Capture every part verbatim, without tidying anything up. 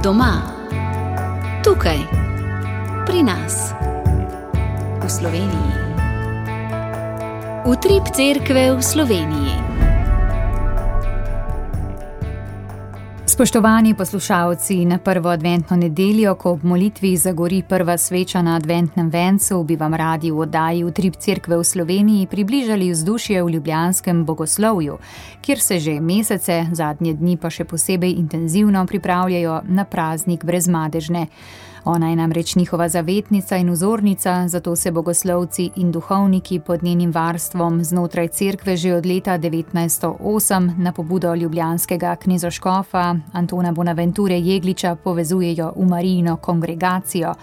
Doma, tukaj, pri nas, v Sloveniji. Utrip cerkve v Sloveniji. Spoštovani poslušalci, na prvo adventno nedeljo, ko ob molitvi zagori prva sveča na adventnem vencu, bi vam radi v oddaji Utrip cerkve v Sloveniji približali vzdušje v ljubljanskem bogoslovju, kjer se že mesece, zadnje dni pa še posebej intenzivno pripravljajo na praznik Brezmadežne. Ona je namreč njihova zavetnica in vzornica, zato se bogoslovci in duhovniki pod njenim varstvom znotraj cerkve že od leta devetnajststo osem na pobudo ljubljanskega knezoškofa Antona Bonaventure Jegliča povezujejo v Marijino kongregacijo.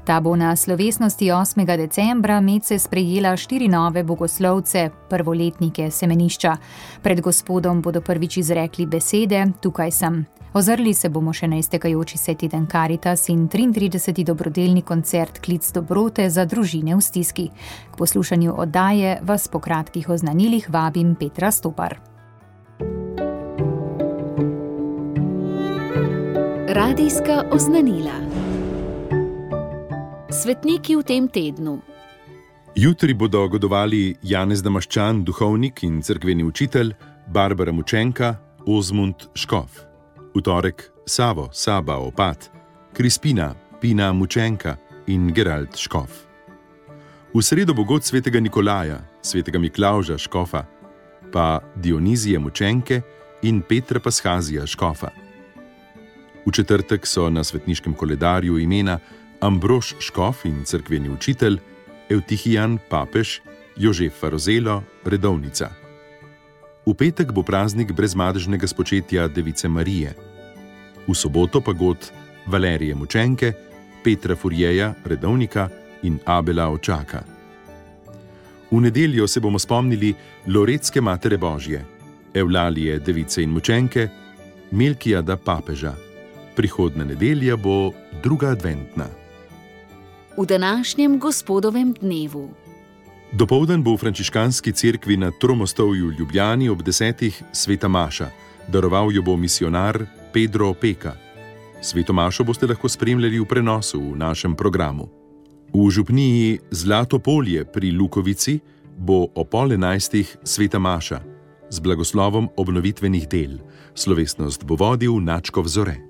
Ta bo na slovesnosti osmega decembra medse sprejela štiri nove bogoslovce, prvoletnike semenišča. Pred gospodom bodo prvič izrekli besede: tukaj sem. Ozrli se bomo še na iztekajoči se teden Karitas in triintrideseti dobrodelni koncert Klic dobrote za družine v stiski. K poslušanju oddaje vas po kratkih oznanilih vabim Petra Stopar. Radijska oznanila. Svetniki v tem tednu. Jutri bodo godovali Janez Damaščan, duhovnik in cerkveni učitelj, Barbara Mučenka, Ozmund Škof. V torek Savo, Saba, opat, Krispina, Pina Mučenka in Gerald Škof. V sredo bo god svetega Nikolaja, svetega Miklavža Škofa, pa Dionizije Mučenke in Petra Paschazija Škofa. V četrtek so na svetniškem koledarju imena Ambrož Škof in cerkveni učitelj, Evtihijan Papež, Jožefa Rozelo, redovnica. V petek bo praznik brezmadežnega spočetja Device Marije. V soboto pa god Valerije Mučenke, Petra Furjeja, redovnika in Abela Očaka. V nedeljo se bomo spomnili Loretske Matere Božje, Evlalije Device in Mučenke, Melkijada Papeža. Prihodna nedelja bo druga adventna. V današnjem gospodovem dnevu. Dopoldan bo v frančiškanski cerkvi na Tromostovju v Ljubljani ob desetih sveta maša. Daroval jo bo misionar Pedro Opeka. Sveto mašo boste lahko spremljali v prenosu v našem programu. V župniji Zlato polje pri Lukovici bo o pol enajstih sveta maša z blagoslovom obnovitvenih del. Slovesnost bo vodil Načkov Zore.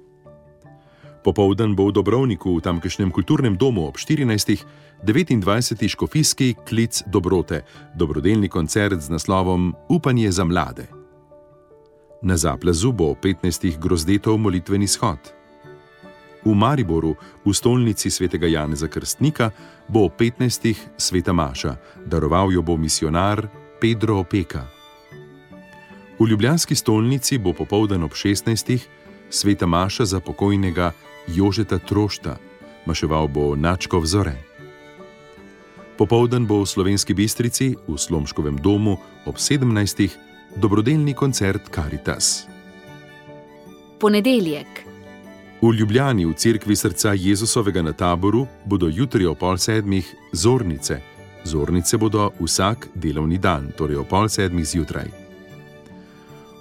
Popoldan bo v Dobrovniku v tamkajšnjem kulturnem domu ob štirinajstih devetindvajseti škofijski Klic dobrote, dobrodelni koncert z naslovom Upanje za mlade. Na Zaplazu bo petnajstih Grozdetov molitveni shod. V Mariboru, v stolnici svetega Janeza Krstnika, bo ob petnajstih sveta maša. Daroval jo bo misionar Pedro Opeka. V ljubljanski stolnici bo popoldan ob šestnajstih sveta maša za pokojnega Jožeta Trošta. Maševal bo Načkov Zore. Popoldan bo v Slovenski Bistrici, v Slomškovem domu, ob sedemnajstih dobrodelni koncert Karitas. Ponedeljek. V Ljubljani v cerkvi srca Jezusovega na Taboru bodo jutri o pol sedmih zornice. Zornice bodo vsak delovni dan, torej o pol sedmih zjutraj.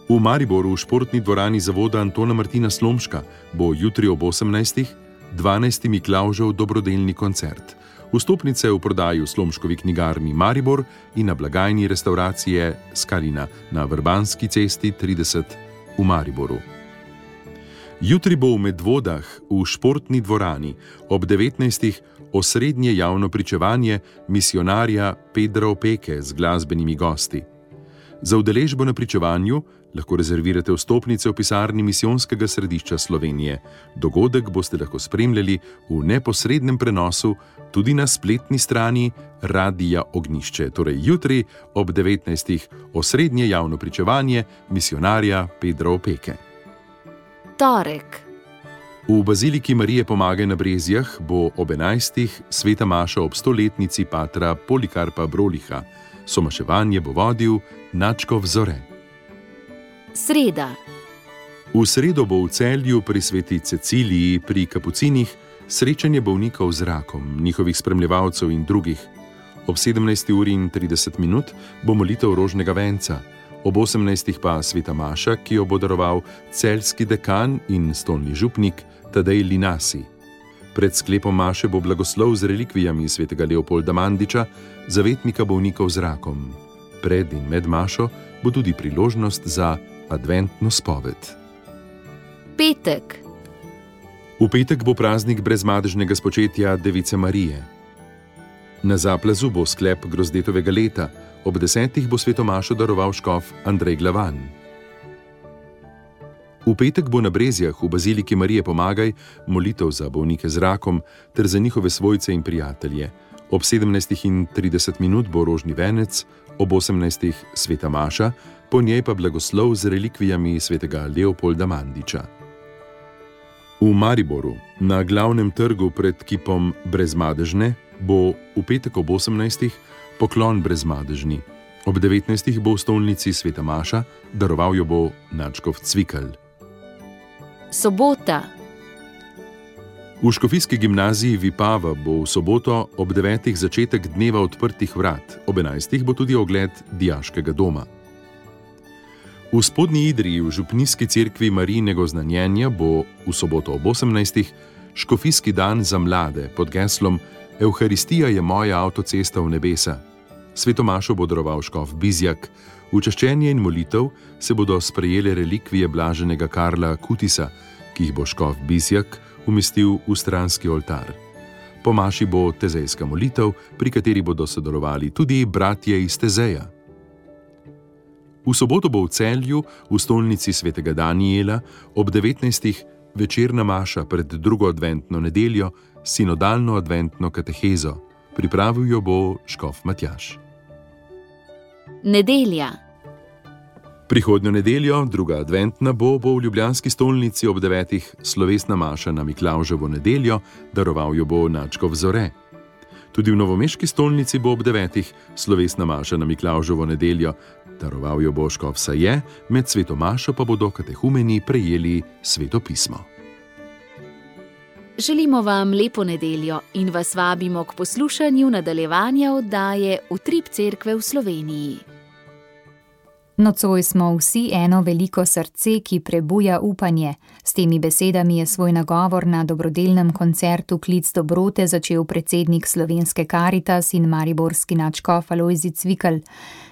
V Mariboru v športni dvorani zavoda Antona Martina Slomška bo jutri ob osemnajstih dvanajsti Miklavžev dobrodelni koncert. Vstopnice v prodaji v Slomškovi knjigarni Maribor in na blagajni restauracije Skalina na Vrbanski cesti trideset v Mariboru. Jutri bo v Medvodah v športni dvorani ob devetnajstih osrednje javno pričevanje misionarja Pedra Opeke z glasbenimi gosti. Za udeležbo na pričevanju lahko rezervirate vstopnice v pisarni Misijonskega središča Slovenije. Dogodek boste lahko spremljali v neposrednem prenosu tudi na spletni strani Radija Ognjišče, torej jutri ob devetnajstih osrednje javno pričevanje misionarja Pedra Opeke. Torek. V baziliki Marije Pomagaj na Brezjah bo ob enajstih sveta maša ob stoletnici patra Polikarpa Broliha. Somaševanje bo vodil Načkov Zore. Sreda. V sredo bo v Celju pri sveti Ceciliji pri Kapucinih srečanje bolnikov z rakom, njihovih spremljevalcev in drugih. Ob sedemnajsti uri in trideset minut bo molitev rožnega venca. ob osemnajstih pa sveta maša, ki jo bo daroval celjski dekan in stolni župnik Tadej Linasi. Pred sklepom maše bo blagoslov z relikvijami svetega Leopolda Mandiča, zavetnika bolnikov z rakom. Pred in med mašo bo tudi priložnost za adventno spoved. Petek. V petek bo praznik brezmadežnega spočetja Device Marije. Na Zaplazu bo sklep grozdetovega leta, ob desetih bo sveto mašo daroval škof Andrej Glavan. V petek bo na Brezjah v baziliki Marije Pomagaj molitev za bolnike z rakom ter za njihove svojce in prijatelje. Ob sedemnajstih in trideset minut bo rožni venec, ob osemnajstih sveta maša, po njej pa blagoslov z relikvijami svetega Leopolda Mandiča. V Mariboru, na glavnem trgu pred kipom Brezmadežne, bo v petek ob osemnajstih poklon Brezmadežni. Ob devetnajstih bo v stolnici sveta maša, daroval jo bo nadškof Cvikl. Sobota. V škofijski gimnaziji Vipava bo v soboto ob devetih začetek dneva odprtih vrat, ob enajstih bo tudi ogled dijaškega doma. V Spodnji Idriji v župnijski cerkvi Marijinega oznanjenja bo v soboto ob osemnajstih škofijski dan za mlade pod geslom Evharistija je moja avtocesta v nebesa. Sveto mašo bo daroval škof Bizjak. V čaščenje in molitev se bodo sprejele relikvije blaženega Karla Kutisa, ki jih bo škof Bizjak umestil v stranski oltar. Po maši bo tezejska molitev, pri kateri bodo sodelovali tudi bratje iz Tezeja. V soboto bo v Celju, v stolnici svetega Danijela, ob devetnajstih večerna maša pred drugo adventno nedeljo, sinodalno adventno katehezo. Pripravil jo bo škof Matjaž. Nedelja. Prihodnjo nedeljo, druga adventna, bo, bo v ljubljanski stolnici ob devetih slovesna maša na Miklavževo nedeljo, daroval jo bo nadškof Zore. Tudi v novomeški stolnici bo ob devetih slovesna maša na Miklavževo nedeljo, daroval jo bo škof Saje, med sveto mašo pa bodo katehumeni prejeli sveto pismo. Želimo vam lepo nedeljo in vas vabimo k poslušanju nadaljevanja oddaje Utrip cerkve v Sloveniji. Nocoj smo vsi eno veliko srce, ki prebuja upanje. S temi besedami je svoj nagovor na dobrodelnem koncertu Klic dobrote začel predsednik Slovenske Karitas in mariborski nadškof Alojzij Cvikl.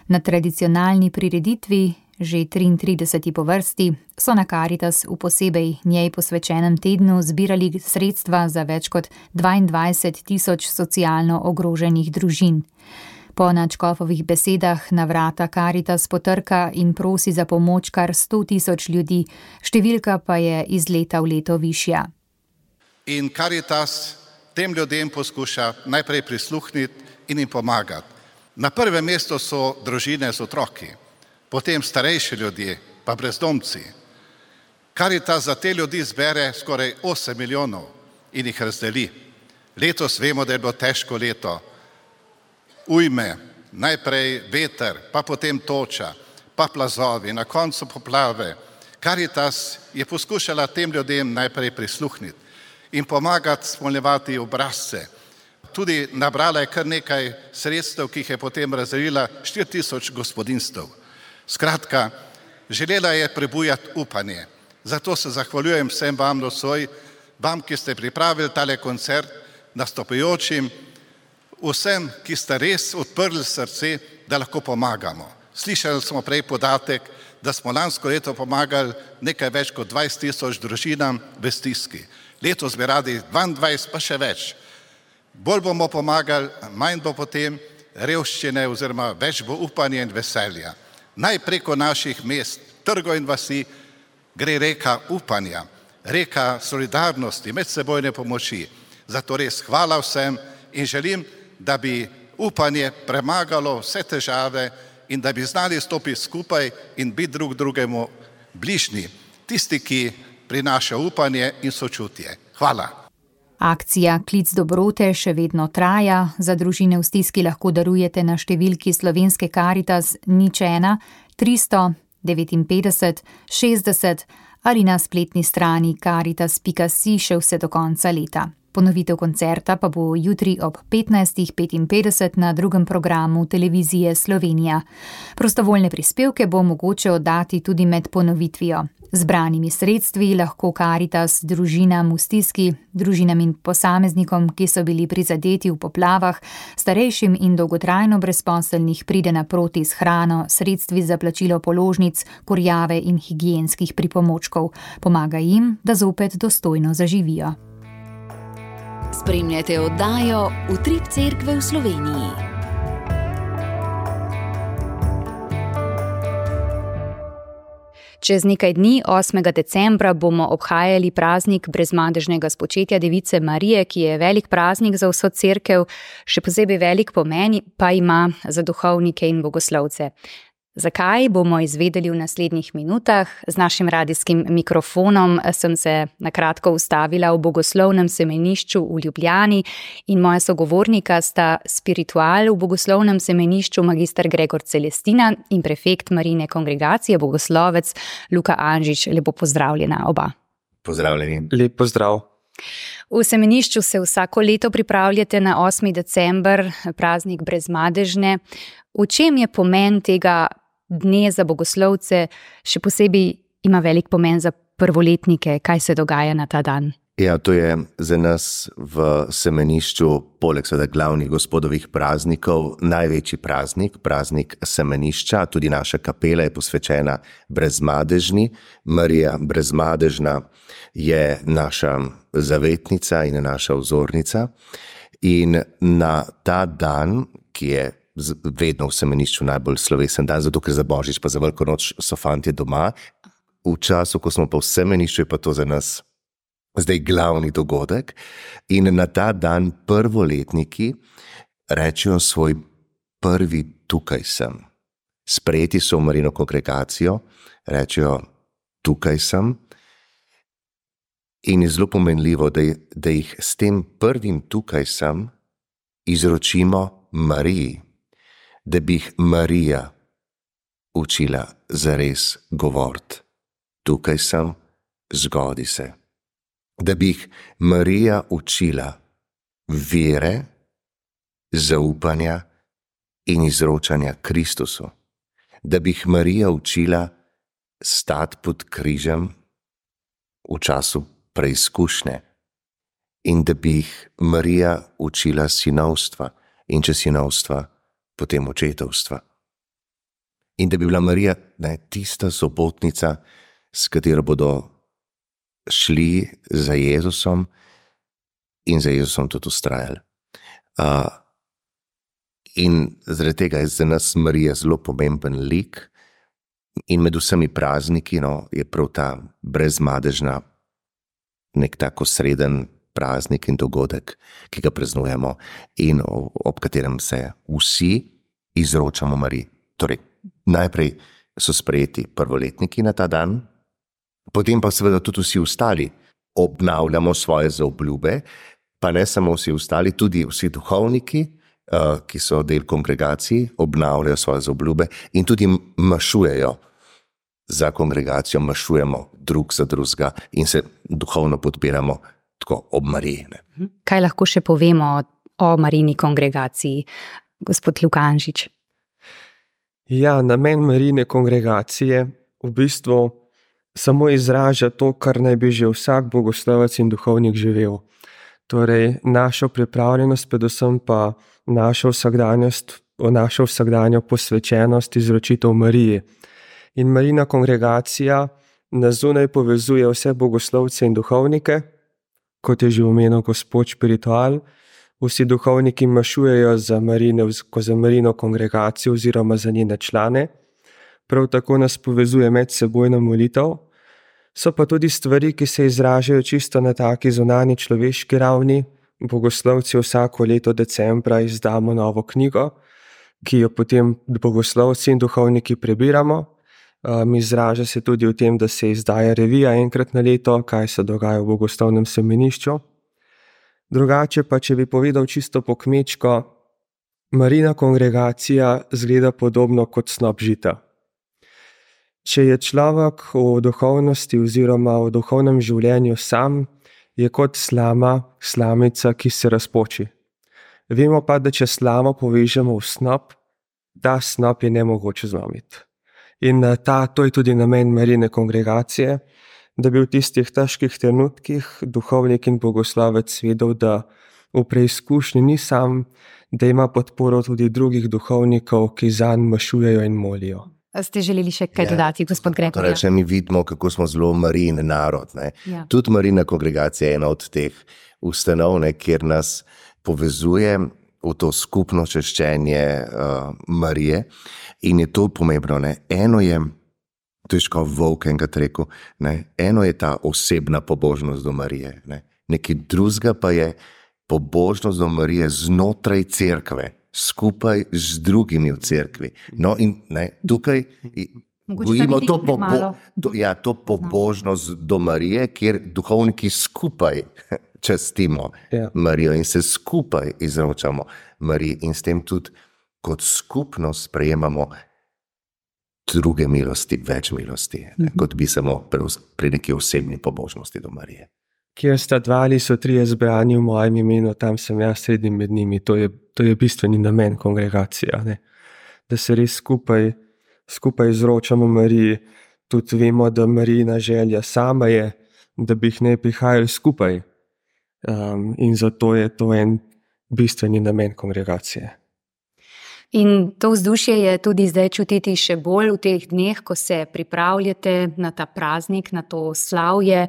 Na tradicionalni prireditvi, že triintrideseti po vrsti, so na Karitas v posebej njej posvečenem tednu zbirali sredstva za več kot dvaindvajset tisoč socialno ogroženih družin. Po nadškofovih besedah na vrata Karitas potrka in prosi za pomoč kar sto tisoč ljudi, številka pa je iz leta v leto višja. In Karitas tem ljudem poskuša najprej prisluhniti in jim pomagati. Na prvem mestu so družine z otroki, potem starejši ljudje, pa brezdomci. Karitas za te ljudi zbere skoraj osem milijonov in jih razdeli. Letos vemo, da je bilo težko leto. Ujme, najprej veter, pa potem toča, pa plazovi, na koncu poplave. Karitas je poskušala tem ljudem najprej prisluhniti in pomagati spolnjevati obrazce. Tudi nabrala je kar nekaj sredstev, ki jih je potem razdelila štiri tisoč gospodinjstev. Skratka, želela je prebujati upanje. Zato se zahvaljujem vsem vam nocoj, vam, ki ste pripravili tale koncert, nastopajočim, vsem, ki ste res odprli srce, da lahko pomagamo. Slišali smo prej podatek, da smo lansko leto pomagali nekaj več kot dvajset tisoč družinam v stiski. Letos bi radi dvaindvajset, pa še več. Bolj bomo pomagali, manj bo potem revščine oziroma več bo upanja in veselja. Naj preko naših mest, trgov in vasi gre reka upanja, reka solidarnosti, medsebojne pomoči. Zato res hvala vsem in želim, da bi upanje premagalo vse težave in da bi znali stopiti skupaj in biti drug drugemu bližnji, tisti, ki prinaša upanje in sočutje. Hvala. Akcija Klic dobrote še vedno traja. Za družine v stiski lahko darujete na številki Slovenske Karitas nič ena tristo devetinpetdeset šestdeset ali na spletni strani karitas pika si še vse do konca leta. Ponovitev koncerta pa bo jutri ob petnajst petinpetdeset na drugem programu Televizije Slovenija. Prostovoljne prispevke bo mogoče oddati tudi med ponovitvijo. Zbranimi sredstvi lahko Karitas družinam v stiski, družinam in posameznikom, ki so bili prizadeti v poplavah, starejšim in dolgotrajno brezposelnih pride naproti s hrano, sredstvi za plačilo položnic, kurjave in higienskih pripomočkov. Pomaga jim, da zopet dostojno zaživijo. Spremljate oddajo Utrip Cerkve v Sloveniji. Čez nekaj dni, osmega decembra, bomo obhajali praznik brezmadežnega spočetja Device Marije, ki je velik praznik za vso cerkev, še posebej velik pomen pa ima za duhovnike in bogoslovce. Zakaj, bomo izvedeli v naslednjih minutah. Z našim radijskim mikrofonom sem se na kratko ustavila v bogoslovnem semenišču v Ljubljani in moja sogovornika sta spiritual v bogoslovnem semenišču magister Gregor Celestina in prefekt Marijine kongregacije, bogoslovec Luka Anžič. Lepo pozdravljena oba. Pozdravljeni. Lep pozdrav. V semenišču se vsako leto pripravljate na osmi december, praznik brezmadežne. V čem je pomen tega dne za bogoslovce, še posebej ima velik pomen za prvoletnike? Kaj se dogaja na ta dan? Ja, to je za nas v semenišču, poleg seveda glavnih gospodovih praznikov, največji praznik, praznik semenišča. Tudi naša kapela je posvečena brezmadežni. Marija brezmadežna je naša zavetnica in naša vzornica. In na ta dan, ki je vedno v semenišču najbolj slovesen dan, zato ker za Božič pa za Veliko noč so fantje doma. V času, ko smo pa v semenišču, je pa to za nas zdaj glavni dogodek. In na ta dan prvoletniki rečejo svoj prvi tukaj sem. Sprejeti so v Marijino kongregacijo, rečejo tukaj sem. In je zelo pomenljivo, da, da jih s tem prvim tukaj sem izročimo Mariji. Da bi jih Marija učila zares govoriti. Tukaj sem, zgodi se. Da bi jih Marija učila vere, zaupanja in izročanja Kristusu. Da bi jih Marija učila stati pod križem v času preizkušnje. In da bi jih Marija učila sinovstva in če sinovstva, potem očetovstva. In da bi bila Marija ne, tista sopotnica, s katero bodo šli za Jezusom in za Jezusom tudi vztrajali. Uh, in zaradi tega je za nas Marija zelo pomemben lik in med vsemi prazniki no, je prav ta brezmadežna nek tako sreden praznik in dogodek, ki ga praznujemo in ob katerem se vsi izročamo Mariji. Torej, najprej so sprejeti prvoletniki na ta dan, potem pa seveda tudi vsi ostali obnavljamo svoje zaobljube, pa ne samo vsi ostali, tudi vsi duhovniki, ki so del kongregacij, obnavljajo svoje zaobljube in tudi mašujejo za kongregacijo, mašujemo drug za drugega in se duhovno podpiramo tako ob Mariji. Kaj lahko še povemo o Marijini kongregaciji, gospod Luka Anžič? Ja, namen Marijine kongregacije v bistvu samo izraža to, kar naj bi že vsak bogoslovec in duhovnik živel. Torej, našo pripravljenost, predvsem pa našo vsakdanjost, našo vsakdanjo posvečenost, izročitev Mariji. In Marijina kongregacija na zunaj povezuje vse bogoslovce in duhovnike, kot je že omenil gospod spiritual. Vsi duhovniki mašujejo za, Marine, za Marijino kongregacijo oziroma za njene člane. Prav tako nas povezuje medsebojna molitev. So pa tudi stvari, ki se izražajo čisto na taki zunanji človeški ravni. Bogoslovci vsako leto decembra izdamo novo knjigo, ki jo potem bogoslovci in duhovniki prebiramo. Um, izraža se tudi v tem, da se izdaja revija enkrat na leto, kaj se dogaja v bogoslovnem semenišču. Drugače pa, če bi povedal čisto po kmečko, Marijina kongregacija zgleda podobno kot snop žita. Če je človek v duhovnosti oziroma v duhovnem življenju sam, je kot slama, slamica, ki se razpoči. Vemo pa, da če slamo povežemo v snop, ta snop je nemogoče zlomiti. In ta, to je tudi namen Marijine kongregacije, da bi v tistih težkih trenutkih duhovnik in bogoslovec vedel, da v preizkušnji ni sam, da ima podporo tudi drugih duhovnikov, ki zanj mašujejo in molijo. Ste želeli še kaj dodati, ja, gospod Gregor? Torej, če mi vidimo, kako smo zelo Marijin narod. Ja. Tudi Marijina kongregacija je ena od teh ustanov, ne, kjer nas povezuje v to skupno češčenje uh, Marije. In je to pomembno. Ne. Eno je, to je škov Volk enkrat rekel, ne. Eno je ta osebna pobožnost do Marije. Ne. Nekaj drugega pa je pobožnost do Marije znotraj cerkve, skupaj z drugimi v cerkvi. No in ne, tukaj gojimo to, pobo to, ja, to pobožnost do Marije, kjer duhovniki skupaj častimo ja. Marijo in se skupaj izročamo Mariji in s tem tudi kot skupnost sprejemamo druge milosti, več milosti, ne, kot bi samo pri, pri neki osebni pobožnosti do Marije. Kjer sta dva ali so trije zbrani v mojem imenu, tam sem jaz sredi med njimi. To je, to je bistveni namen kongregacije, ne? Da se res skupaj, skupaj izročamo Mariji. Tudi vemo, da Marijina želja sama je, da bi jih ne prihajali skupaj. Um, in zato je to en bistveni namen kongregacije. In to vzdušje je tudi zdaj čutiti še bolj v teh dneh, ko se pripravljate na ta praznik, na to slavje.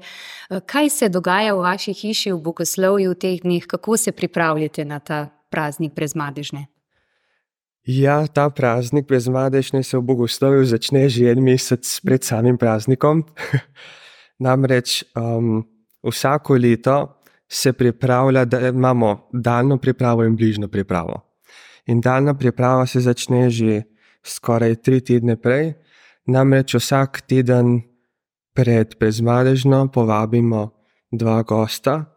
Kaj se dogaja v vaši hiši v bogoslovju v teh dneh? Kako se pripravljate na ta praznik Brezmadežne? Ja, ta praznik Brezmadežne se v bogoslovju začne že en mesec pred samim praznikom. Namreč um, vsako leto se pripravlja, da imamo daljno pripravo in bližnjo pripravo. In daljna priprava se začne že skoraj tri tedne prej, namreč vsak teden pred Brezmadežno povabimo dva gosta.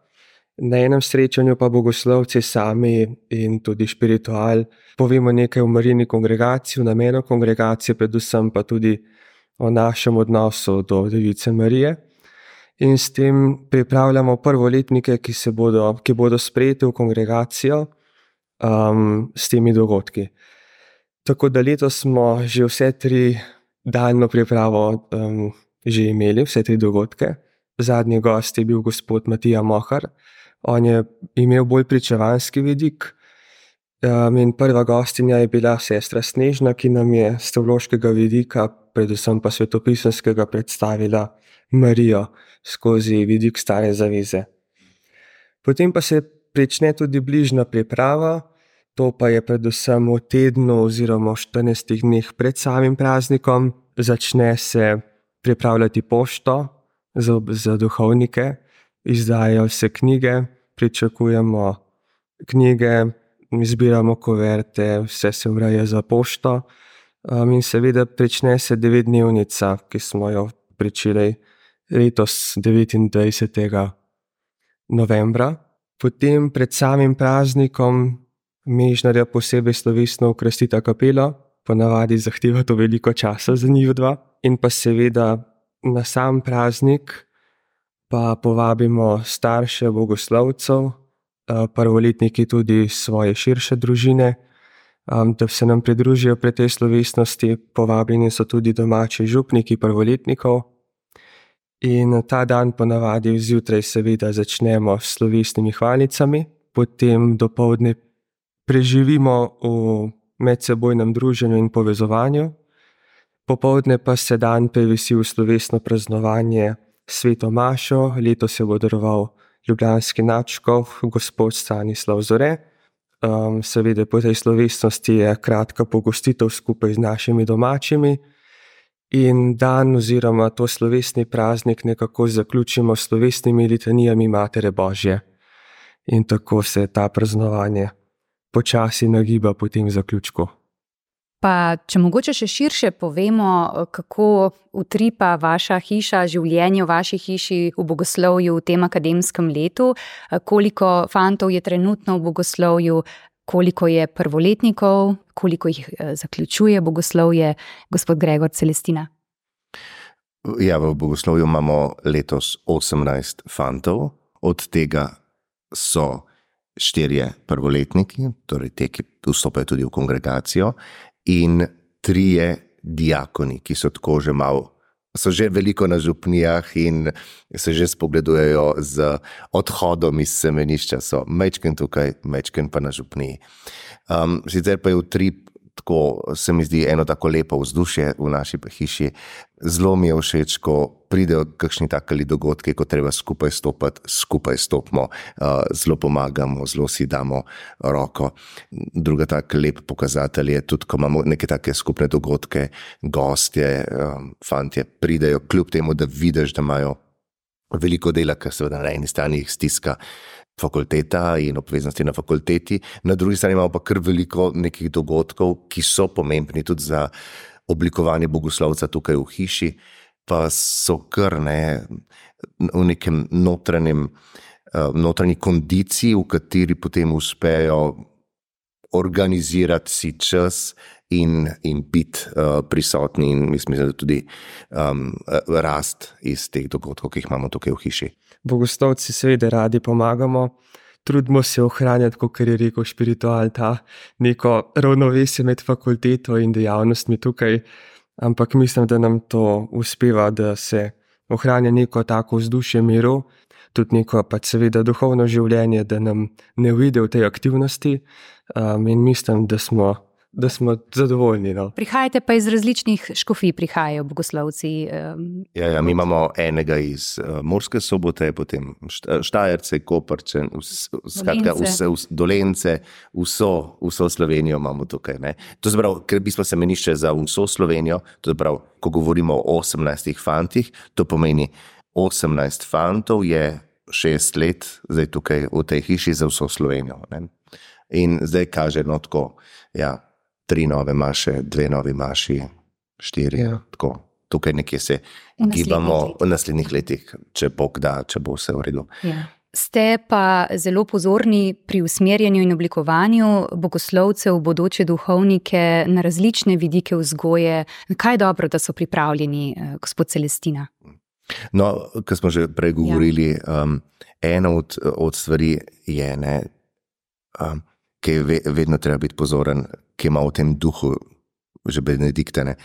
Na enem srečanju pa bogoslovci sami in tudi špiritual povemo nekaj o Marijini kongregaciji, o namenu kongregacije, predvsem pa tudi o našem odnosu do Device Marije. In s tem pripravljamo prvoletnike, ki, se bodo, ki bodo sprejeti v kongregacijo, Um, s temi dogodki. Tako da letos smo že vse tri daljno pripravo um, že imeli, vse tri dogodke. Zadnji gost je bil gospod Matija Mohar. On je imel bolj pričevanski vidik um, in prva gostinja je bila sestra Snežna, ki nam je s teološkega vidika, predvsem pa svetopisemskega, predstavila Marijo skozi vidik Stare zaveze. Potem pa se prične tudi bližnja priprava, to pa je predvsem v tednu oziroma v štirinajstih dneh pred samim praznikom. Začne se pripravljati pošto za, za duhovnike, izdajajo se knjige, pričakujemo knjige, izbiramo koverte, vse se ureja za pošto um, in seveda prične se devetdnevnica, ki smo jo pričeli letos devetindvajsetega novembra. Potem pred samim praznikom Mežnarja posebej slovesno okrasita kapelo, ponavadi zahteva to veliko časa za njih dva. In pa seveda na sam praznik pa povabimo starše bogoslovcev, prvoletniki tudi svoje širše družine, da se nam pridružijo pri tej slovesnosti. Povabljeni so tudi domači župniki prvoletnikov. In ta dan ponavadi zjutraj seveda začnemo s slovesnimi hvalicami, potem dopoldne preživimo v medsebojnem druženju in povezovanju, popoldne pa se dan prevesi v slovesno praznovanje sveto mašo. Letos je bo daroval ljubljanski nadškof gospod Stanislav Zore. Um, seveda po tej slovesnosti je kratka pogostitev skupaj z našimi domačimi. In dan oziroma to slovesni praznik nekako zaključimo s slovesnimi litanijami Matere Božje. In tako se ta praznovanje počasi nagiba po tem zaključku. Pa če mogoče še širše povemo, kako utripa vaša hiša, življenje v vaši hiši v bogoslovju v tem akademskem letu, koliko fantov je trenutno v bogoslovju, koliko je prvoletnikov, koliko jih zaključuje bogoslovje, gospod Gregor, Celestina? Ja, v bogoslovju imamo letos osemnajst fantov, od tega so štirje prvoletniki, torej te, ki vstopajo tudi v kongregacijo, in trije diakoni, ki so tako že malo, so že veliko na župnijah in se že spogledujejo z odhodom iz semenišča, so mečken tukaj, mečken pa na župniji. Um, sicer pa je utrip, tako se mi zdi eno tako lepo vzdušje v naši hiši. Zelo mi je všeč, ko pridejo kakšni takali dogodki, ko treba skupaj stopati, skupaj stopimo, uh, zelo pomagamo, zelo si damo roko. Druga tak lep pokazatelj je tudi, ko imamo neke take skupne dogodke, gostje, um, fantje pridejo, kljub temu, da vidiš, da imajo veliko dela, ker seveda na eni strani jih stiska fakulteta in obveznosti na fakulteti, na drugi strani imamo pa kar veliko nekih dogodkov, ki so pomembni tudi za oblikovanje bogoslovca tukaj v hiši, pa so kar ne v nekem notranjem, notranji kondiciji, v kateri potem uspejo organizirati si čas in, in biti uh, prisotni in mislim, da tudi um, rast iz teh dogodkov, ki jih imamo tukaj v hiši. Bogoslovci seveda radi pomagamo, trudimo se ohranjati, kot je rekel spiritual, ta neko ravnovesje med fakulteto in dejavnostmi tukaj, ampak mislim, da nam to uspeva, da se ohranja neko tako vzdušje miru, tudi neko pa seveda duhovno življenje, da nam ne uide v tej aktivnosti um, in mislim, da smo da smo zadovoljni. No. Prihajate pa iz različnih škofij, prihajajo bogoslovci. Um, ja, ja, mi imamo enega iz uh, Murske Sobote, potem Štajerce, Koprče, skratka vse, vse, Dolence, vso, vso Slovenijo imamo tukaj. Ne. To je prav, ker bi smo semenišče za vso Slovenijo, to je prav, ko govorimo o osemnajstih fantih, to pomeni osemnajst fantov je šest let zdaj tukaj v tej hiši za vso Slovenijo. Ne. In zdaj kaže no tako, ja, tri nove maše, dve novi maši, štiri, ja. Tako. Tukaj nekje se gibamo v naslednjih letih, če Bog da, če bo vse v redu. Ja. Ste pa zelo pozorni pri usmerjanju in oblikovanju bogoslovcev, bodoče duhovnike na različne vidike vzgoje. Kaj je dobro, da so pripravljeni, gospod Celestina? No, ko smo že prej govorili, ja. um, ena od, od stvari je, ne, um, ki je vedno treba biti pozoren, ki ima v tem duhu, že Benediktane,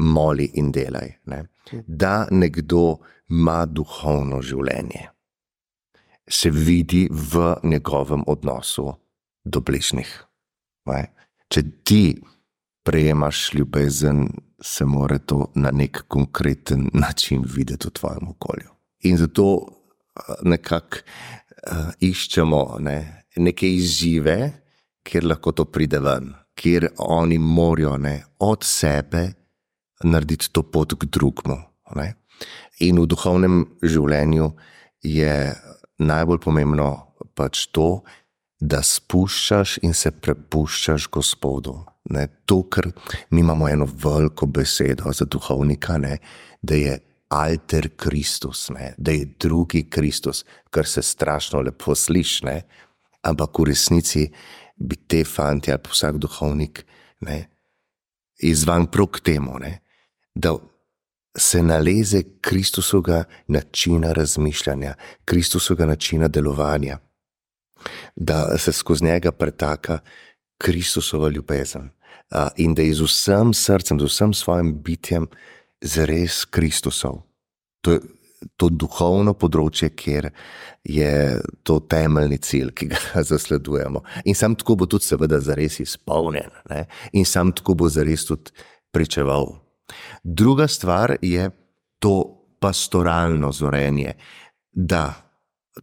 moli in delaj. Ne? Da nekdo ima duhovno življenje, se vidi v njegovem odnosu do bližnjih. Ne? Če ti prejemaš ljubezen, se mora to na nek konkreten način videti v tvojem okolju. In zato nekako uh, iščemo ne, neke izzive, kjer lahko to pride ven, kjer oni morajo ne, od sebe narediti to pot k drugmu. Ne. In v duhovnem življenju je najbolj pomembno pač to, da spuščaš in se prepuščaš Gospodu. Ne. To, ker mi imamo eno veliko besedo za duhovnika, ne, da je alter Kristus, ne, da je drugi Kristus, kar se strašno lepo sliši, ne, ampak v resnici bi te fanti ali vsak duhovnik ne, izvan prav k temu, ne, da se naleze Kristusovega načina razmišljanja, Kristusovega načina delovanja, da se skozi njega pretaka Kristusova ljubezen in da je z vsem srcem, z vsem svojim bitjem zares Kristusov. To je to duhovno področje, kjer je to temeljni cilj, ki ga zasledujemo. In sam tako bo tudi seveda zares izpolnjen. Ne? In sam tako bo zares tudi pričeval. Druga stvar je to pastoralno zorenje, da,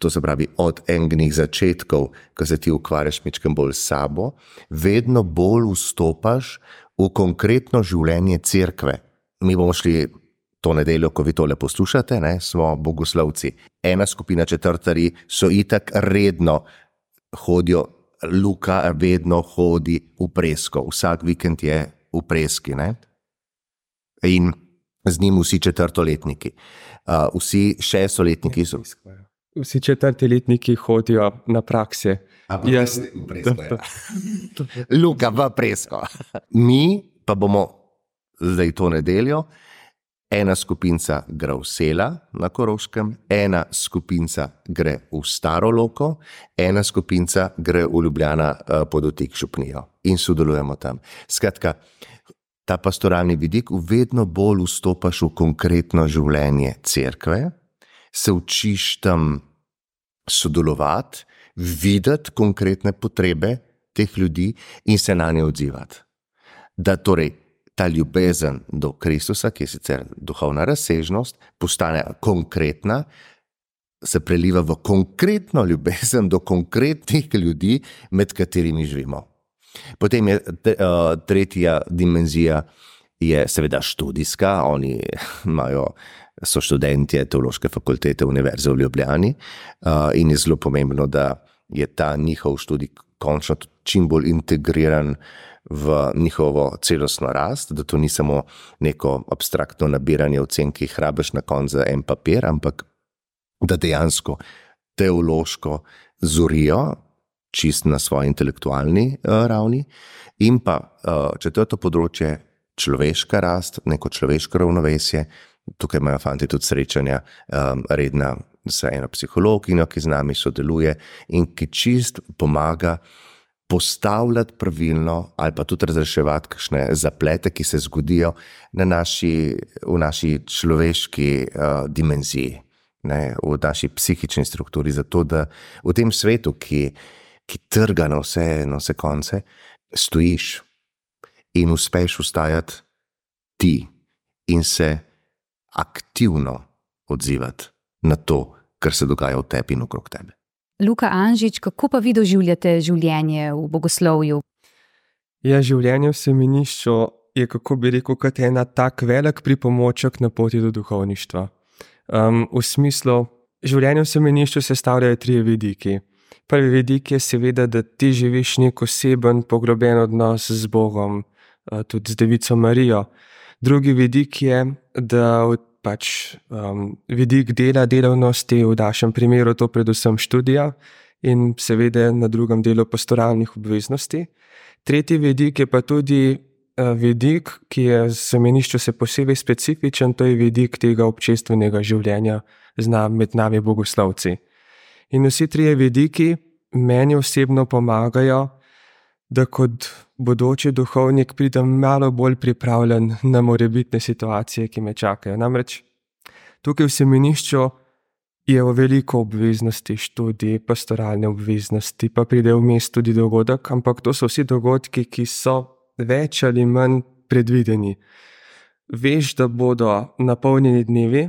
to se pravi od enih začetkov, ko se ti ukvarjaš mičkem bolj s sabo, vedno bolj vstopaš v konkretno življenje cerkve. Mi bomo šli to nedeljo, ko vi tole poslušate, ne, smo bogoslovci. Ena skupina četrtari so itak redno hodijo, Luka vedno hodi v Presko, vsak vikend je v Preski. Ne? In z njim vsi četrtoletniki. Uh, vsi šestoletniki so. Vsi četrtoletniki hodijo na prakse. Jaz, v Presko, ja. Luka v Presko. Mi pa bomo zdaj to nedeljo ena skupinca gre v Sela na Koroškem, ena skupinca gre v Staro Loko, ena skupinca gre v Ljubljana pod Otik Šupnijo in sodelujemo tam. Skratka, ta pastoralni vidik, vedno bolj vstopaš v konkretno življenje cerkve, se učiš tam sodelovati, videti konkretne potrebe teh ljudi in se na nje odzivati. Da torej ta ljubezen do Kristusa, ki je sicer duhovna razsežnost, postane konkretna, se preliva v konkretno ljubezen do konkretnih ljudi, med katerimi živimo. Potem je tretja dimenzija je seveda študijska, oni imajo, so študentje Teološke fakultete Univerze v Ljubljani in je zelo pomembno, da je ta njihov študij končno čim bolj integriran v njihovo celostno rast, da to ni samo neko abstraktno nabiranje ocen, ki jih rabiš na koncu za en papir, ampak da dejansko teološko zorijo čist na svoji intelektualni uh, ravni. In pa uh, četrto področje, človeška rast, neko človeško ravnovesje. Tukaj imajo fanti tudi srečanja um, redna z eno psihologinjo, ki z nami sodeluje in ki čist pomaga postavljati pravilno ali pa tudi razreševati kakšne zaplete, ki se zgodijo na naši, v naši človeški uh, dimenziji, ne, v naši psihični strukturi, zato da v tem svetu, ki, ki trga na vse, na vse konce, stojiš in uspeš ustajati ti in se aktivno odzivati na to, kar se dogaja v tebi in okrog tebe. Luka Anžič, kako pa vi doživljate življenje v bogoslovju? Ja, življenje v semenišču je, kako bi rekel, kot ena tak velik pripomoček na poti do duhovništva. Um, v smislu, življenje v semenišču sestavljajo trije vidiki. Prvi vidik je seveda, da ti živiš nek oseben, poglobljen odnos z Bogom, tudi z Devico Marijo. Drugi vidik je, da pač um, vidik dela, delavnosti, v našem primeru to predvsem študija in seveda na drugem delu pastoralnih obveznosti. Tretji vidik je pa tudi uh, vidik, ki je v semenišču se posebej specifičen, to je vidik tega občestvenega življenja med nami bogoslovci. In vsi trije vidiki meni osebno pomagajo, da kot bodoči duhovnik pridem malo bolj pripravljen na morebitne situacije, ki me čakajo. Namreč tukaj v semenišču je veliko obveznosti, študij, pastoralne obveznosti, pa pride vmes tudi dogodek, ampak to so vsi dogodki, ki so več ali manj predvideni. Veš, da bodo napolnjeni dnevi,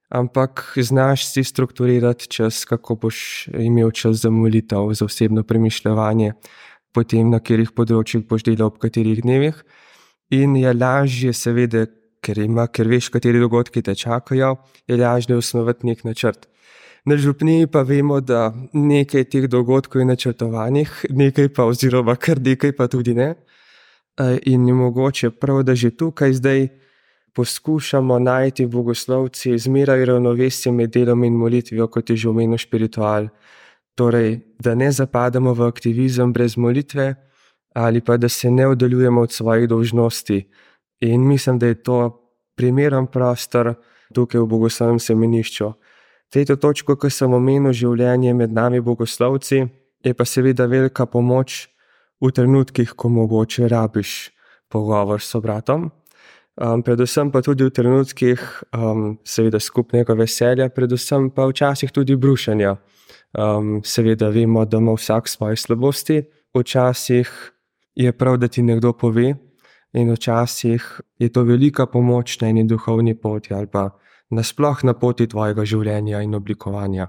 ampak znaš si strukturirati čas, kako boš imel čas za molitev, za osebno premišljevanje, potem na katerih področjih boš delal ob katerih dnevih. In je lažje seveda, ker, ima, ker veš, kateri dogodki te čakajo, je lažje osnovati nek načrt. Na župniji pa vemo, da nekaj teh dogodkov je načrtovanih, nekaj pa oziroma kar nekaj pa tudi ne. In je mogoče prav, da že tukaj zdaj poskušamo najti bogoslovci zmeraj ravnovesje med delom in molitvijo, kot je že omenil spiritual. Torej, da ne zapadamo v aktivizem brez molitve ali pa da se ne oddaljujemo od svojih dolžnosti. In mislim, da je to primeren prostor tukaj v bogoslovnem semenišču. Tretjo točko, ki sem omenil, življenje med nami bogoslovci, je pa seveda velika pomoč v trenutkih, ko mogoče rabiš pogovor s sobratom. Um, predvsem pa tudi v trenutkih um, seveda skupnega veselja, predvsem pa včasih tudi brušenja. Um, seveda vemo, da ima vsak svoje slabosti, včasih je prav, da ti nekdo pove in včasih je to velika pomoč na eni duhovni poti ali pa nasploh na poti tvojega življenja in oblikovanja.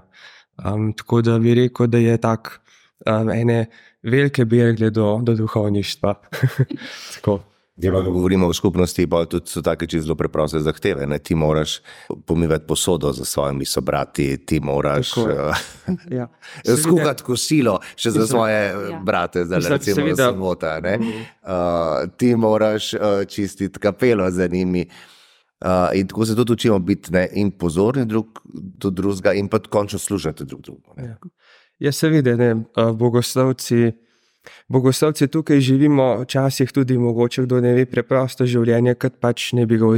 Um, tako da bi rekel, da je tak um, ene velike bergle do, do duhovništva. Tako. Ja, ko govorimo o skupnosti, pa tudi so take čisto zelo preproste zahteve. Ne? Ti moraš pomivati posodo za svojimi sobrati, ti moraš uh, ja. skuhati kosilo še za svoje ja. brate, zdaj recimo v sobota. Uh, ti moraš uh, čistiti kapelo za njimi. Uh, in tako se tudi učimo biti ne? in pozorni drug do drugega in pa končno služati drug drugo. Ja, ja seveda, ne, bogoslovci Bogoslovci tukaj živimo včasih tudi mogoče, kdo ne ve, preprosto življenje, kot pač ne bi ga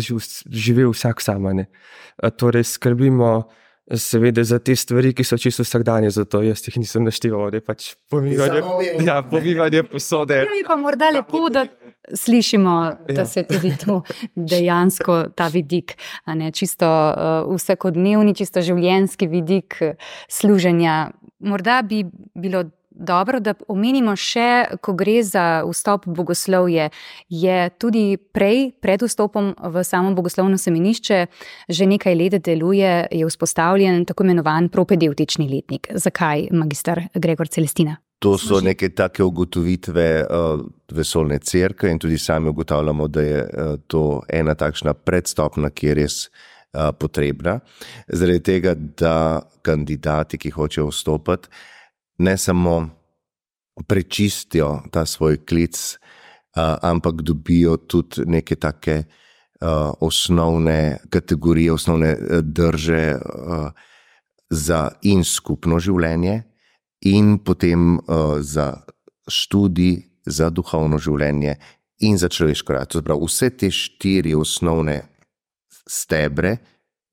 živel vsak sama. Ne. Torej skrbimo seveda za te stvari, ki so čisto vsakdanje, zato jaz jih nisem našteval, da je pač pomivanje, ja, pomivanje posode. Je pa morda lepo, da slišimo, da Ja. se tudi to dejansko ta vidik, a ne, čisto uh, vsakodnevni, čisto življenjski vidik uh, služenja. Morda bi bilo dobro, da omenimo še, ko gre za vstop v bogoslovje, je tudi prej, pred vstopom v samo bogoslovno semenišče, že nekaj let deluje, je vzpostavljen tako imenovan propedevtični letnik. Zakaj, magister Gregor Celestina? To so neke take ugotovitve uh, vesoljne cerkve in tudi sami ugotavljamo, da je uh, to ena takšna predstopna, ki je res uh, potrebna. Zaradi tega, da kandidati, ki hočejo vstopati, ne samo prečistijo ta svoj klic, uh, ampak dobijo tudi neke take uh, osnovne kategorije, osnovne uh, drže uh, za in skupno življenje, in potem uh, za študij, za duhovno življenje in za človeško rast. Prav, vse te štiri osnovne stebre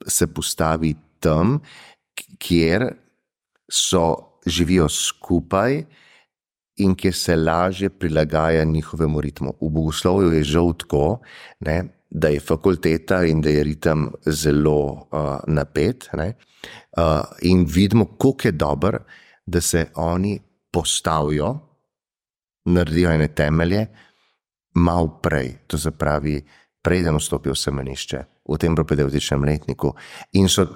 se postavi tam, kjer so, živijo skupaj in kjer se lažje prilagaja njihovemu ritmu. V bogoslovju je žal tako, ne, da je fakulteta in da je ritem zelo uh, napet, ne, uh, in vidimo, koliko je dober, da se oni postavijo, naredijo ene temelje, malo prej, to se pravi, preden vstopijo v semenišče, v tem propedevtičnem letniku, in so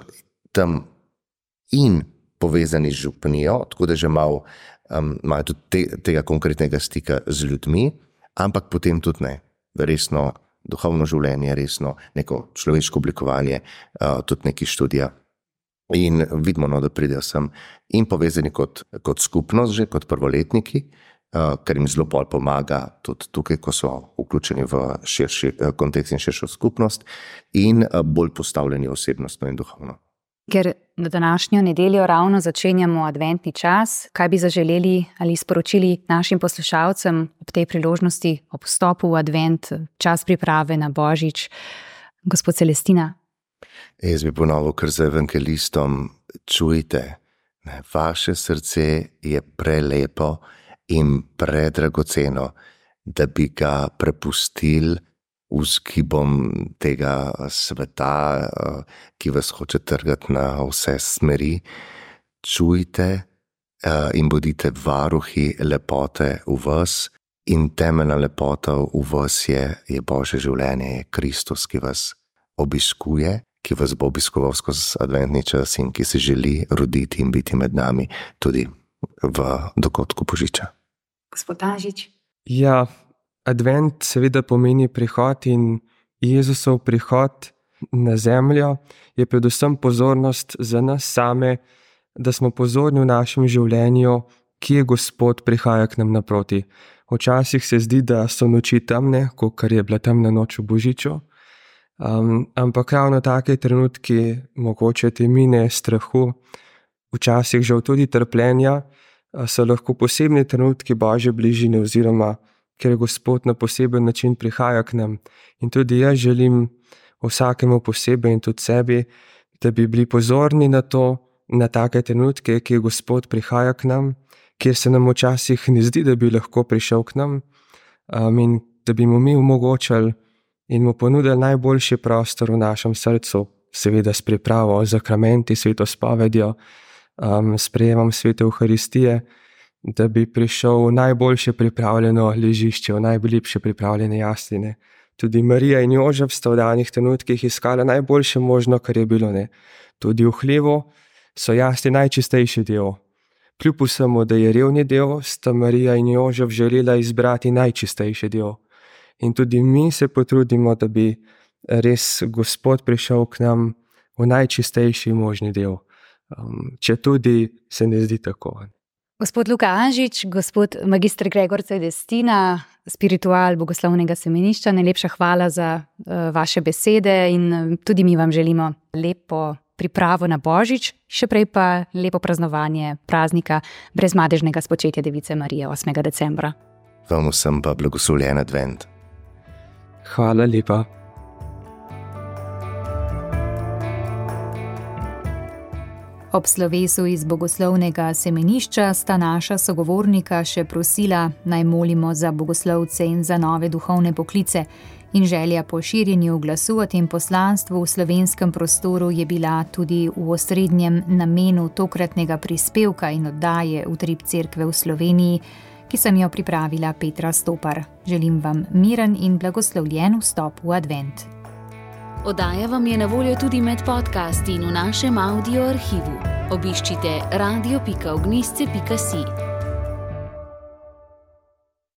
tam in povezani z župnijo, tako da že malo um, imajo tudi te, tega konkretnega stika z ljudmi, ampak potem tudi ne, resno duhovno življenje, resno neko človeško oblikovanje, uh, tudi neki študija. In vidimo, no, da pridejo sem in povezani kot, kot skupnost, že kot prvoletniki, uh, kar jim zelo pol pomaga tudi tukaj, ko so vključeni v širši uh, kontekst in širšo skupnost, in uh, bolj postavljeni osebnostno in duhovno. Ker na današnjo nedeljo ravno začenjamo adventni čas, kaj bi zaželeli ali sporočili našim poslušalcem ob tej priložnosti, ob vstopu v advent, čas priprave na Božič? Gospod Celestina. Jaz bi ponovil kar za evangelistom, čujte, ne, vaše srce je prelepo in predragoceno, da bi ga prepustili vzgibom tega sveta, ki vas hoče trgati na vse smeri. Čujte in bodite varuhi lepote v vas, in temeljna lepota v vas je, je Božje življenje, je Kristus, ki vas obiskuje, ki vas bo obiskoval skozi adventni čas in ki se želi roditi in biti med nami tudi v dogodku Božiča. Gospod Anžič. Ja, advent seveda pomeni prihod, in Jezusov prihod na zemljo je predvsem pozornost za nas same, da smo pozorni v našem življenju, kje Gospod prihaja k nam naproti. Včasih se zdi, da so noči temne, kakor je bila temna noč v Božiču, um, ampak ravno take trenutki, mogoče temine, strahu, včasih žal tudi trpljenja, so lahko posebni trenutki Božje bližine, oziroma ker Gospod na poseben način prihaja k nam. In tudi jaz želim vsakemu posebej in tudi sebi, da bi bili pozorni na to, na take trenutke, kjer Gospod prihaja k nam, kjer se nam včasih ne zdi, da bi lahko prišel k nam, um, in da bi mu mi omogočali in mu ponudili najboljši prostor v našem srcu, seveda s pripravo, zakramenti, sveto spovedjo, um, sprejemom svete Evharistije, da bi prišel v najboljše pripravljeno ležišče, v najlepše pripravljene jasline. Tudi Marija in Jožef sta v danih trenutkih iskala najboljše možno, kar je bilo. Ne. Tudi v hlevu so jasli najčistejši del. Kljub vsemu, da je revni del, sta Marija in Jožef želela izbrati najčistejši del. In tudi mi se potrudimo, da bi res Gospod prišel k nam v najčistejši možni del. Um, če tudi se ne zdi tako. Gospod Luka Anžič, gospod magister Gregor Celestina, spiritual Bogoslovnega semenišča, najlepša hvala za uh, vaše besede in tudi mi vam želimo lepo pripravo na Božič, še prej pa lepo praznovanje praznika brezmadežnega spočetja Device Marije osmega decembra. Vam vsem pa blagoslovljen advent. Hvala lepa. Ob slovesu iz bogoslovnega semenišča sta naša sogovornika še prosila, naj molimo za bogoslovce in za nove duhovne poklice, in želja po širjenju glasu o tem poslanstvu v slovenskem prostoru je bila tudi v osrednjem namenu tokratnega prispevka in oddaje Utrip Cerkve v Sloveniji, ki sem jo pripravila Petra Stopar. Želim vam miren in blagoslovljen vstop v advent. Oddaja vam je na voljo tudi med podcasti in v našem audio arhivu. Obiščite radio pika ognjišče pika si.